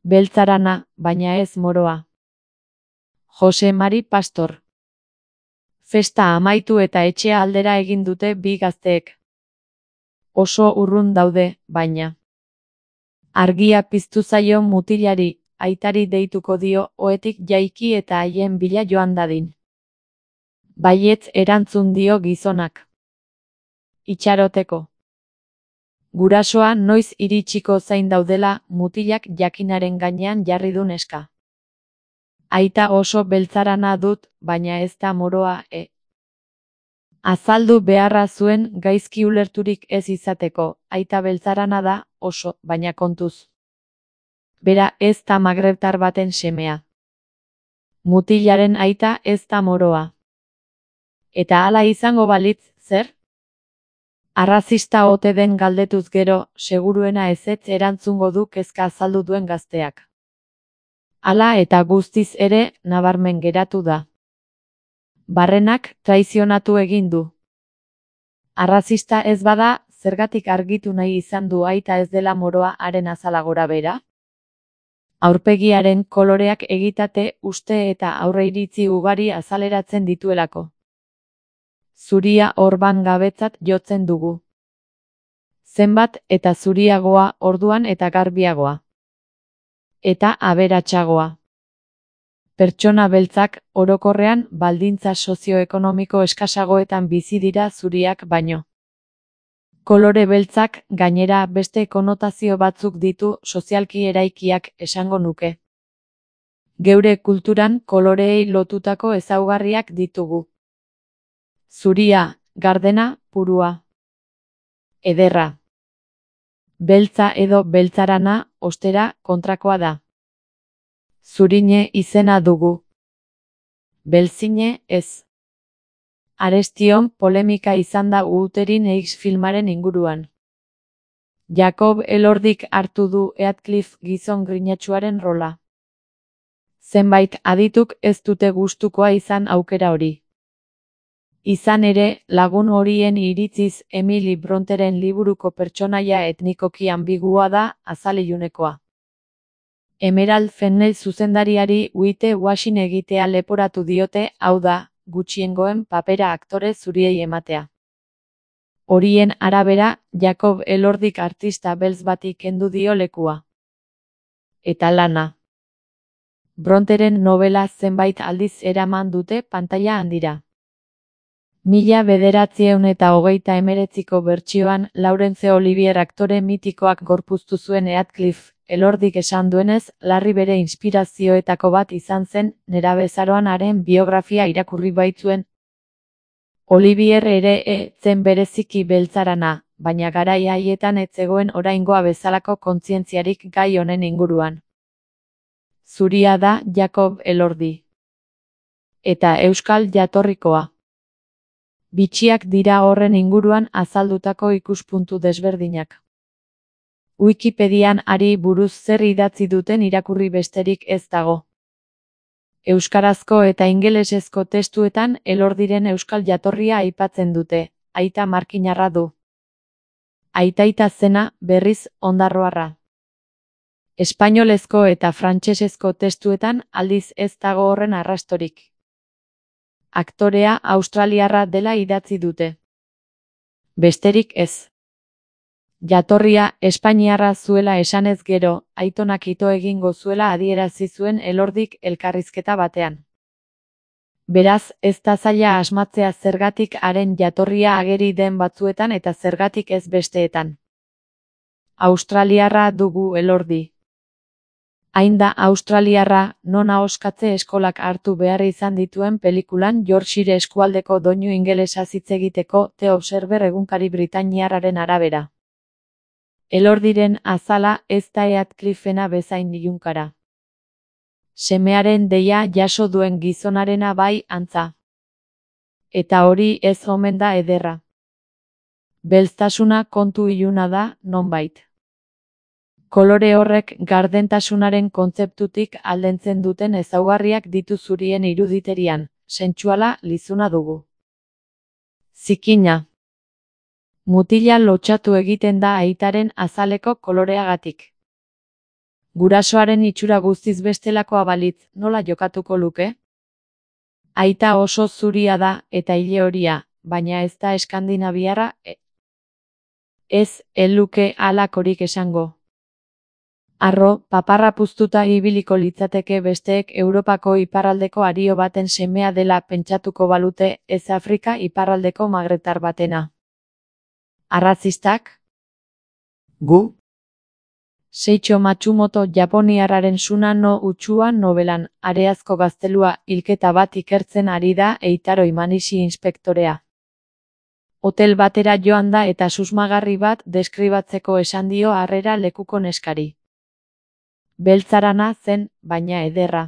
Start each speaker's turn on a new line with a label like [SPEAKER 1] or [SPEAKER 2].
[SPEAKER 1] Beltzarana, baina ez moroa. Jose Mari Pastor. Festa amaitu eta etxea aldera egin dute bi gazteek. Oso urrun daude, baina. Argia piztu zaio mutilari, aitari deituko dio ohetik jaiki eta haien bila joan dadin. Baietz erantzun dio gizonak. Itxaroteko. Gurasoa noiz iritsiko zain daudela mutilak jakinaren gainean jarri du neska. Aita oso beltzarana dut, baina ez da moroa, Azaldu beharra zuen gaizki ulerturik ez izateko, aita beltzarana da, oso, baina kontuz. Bera ez da magrebtar baten semea. Mutilaren aita ez da moroa. Eta hala izango balitz, zer? Arrazista ote den galdetuz gero, seguruena ezetz erantzungo du kezka azaldu duen gazteak. Hala eta guztiz ere, nabarmen geratu da. Barrenak traizionatu egin du. Arrazista ez bada, zergatik argitu nahi izan du aita ez dela moroa haren azala gora bera? Aurpegiaren koloreak egitate, uste eta aurreiritzi ugari azaleratzen dituelako. Zuria orban gabetzat jotzen dugu. Zenbat eta zuriagoa orduan eta garbiagoa. Eta aberatsagoa. Pertsona beltzak, orokorrean, baldintza sozioekonomiko eskasagoetan bizi dira zuriak baino. Kolore beltzak, gainera beste konotazio batzuk ditu sozialki eraikiak esango nuke. Geure kulturan koloreei lotutako ezaugarriak ditugu. Zuria, gardena, purua. Ederra. Beltza edo beltzarana, ostera, kontrakoa da. Zurine izena dugu. Belzine ez. Arestion polemika izan da Wuthering Heights filmaren inguruan. Jacob Elordik hartu du Heathcliff gizon grinatsuaren rola. Zenbait adituk ez dute gustukoa izan aukera hori. Izan ere, lagun horien iritziz Emily Bronteren liburuko pertsonaia etnikoki ambigua da, azalilunekoa. Emerald Fennell zuzendariari whitewashing egitea leporatu diote, hau da, gutxiengoen papera aktore zuriei ematea. Horien arabera, Jacob Elordik artista beltz bati kendu dio lekua. Eta lana. Bronteren novela zenbait aldiz eraman dute pantaila handira. 1929ko bertsioan Laurence Olivier aktore mitikoak gorpuztu zuen Heathcliff, Elordik esan duenez, larri bere inspirazioetako bat izan zen, nerabezaroan haren biografia irakurri baitzuen. Olivier ere zen bereziki beltzarana, baina garai haietan ez zegoen oraingoa bezalako kontzientziarik gai honen inguruan. Zuria da Jacob Elordi. Eta euskal jatorrikoa. Bitxiak dira horren inguruan azaldutako ikuspuntu desberdinak. Wikipedian hari buruz zer idatzi duten irakurri besterik ez dago. Euskarazko eta ingelesezko testuetan Elordiren euskal jatorria aipatzen dute, aita markinarra du. Aitaita zena, berriz, ondarroarra. Espainolezko eta frantsesezko testuetan aldiz ez dago horren arrastorik. Aktorea australiarra dela idatzi dute. Besterik ez. Jatorria espainiarra zuela esanez gero, aitonak ito egingo zuela adierazi zuen Elordik elkarrizketa batean. Beraz, ez da zaila asmatzea zergatik haren jatorria ageri den batzuetan eta zergatik ez besteetan. Australiarra dugu Elordi. Hain da australiarra, non ahoskatze eskolak hartu behar izan dituen pelikulan Yorkshire eskualdeko doinu ingelesa hitz egiteko The Observer egunkari britainiarraren arabera. Elordiren azala ez da Heathcliffena bezain ilunkara. Semearen deia jaso duen gizonarena bai antza. Eta hori ez omen da ederra. Belztasuna kontu iluna da, nonbait. Kolore horrek gardentasunaren kontzeptutik aldentzen duten ezaugarriak ditu zurien iruditerian, sentsuala lizuna dugu. Zikina. Mutila lotsatu egiten da aitaren azaleko koloreagatik. Gurasoaren itxura guztiz bestelakoa balitz, nola jokatuko luke? Aita oso zuria da eta ile horia, baina ez da eskandinaviarra, ez luke halakorik esango. Arro, paparra puztuta ibiliko litzateke besteek Europako iparraldeko ario baten semea dela pentsatuko balute, ez Afrika iparraldeko magretar batena. Arrazistak? Gu? Seicho Matsumoto japoniarraren Suna no Utsua nobelan, Areazko gaztelua, hilketa bat ikertzen ari da Eitaro Imanishi inspektorea. Hotel batera joan da eta susmagarri bat deskribatzeko esan dio harrera lekuko neskari. Beltzarana zen, baina ederra.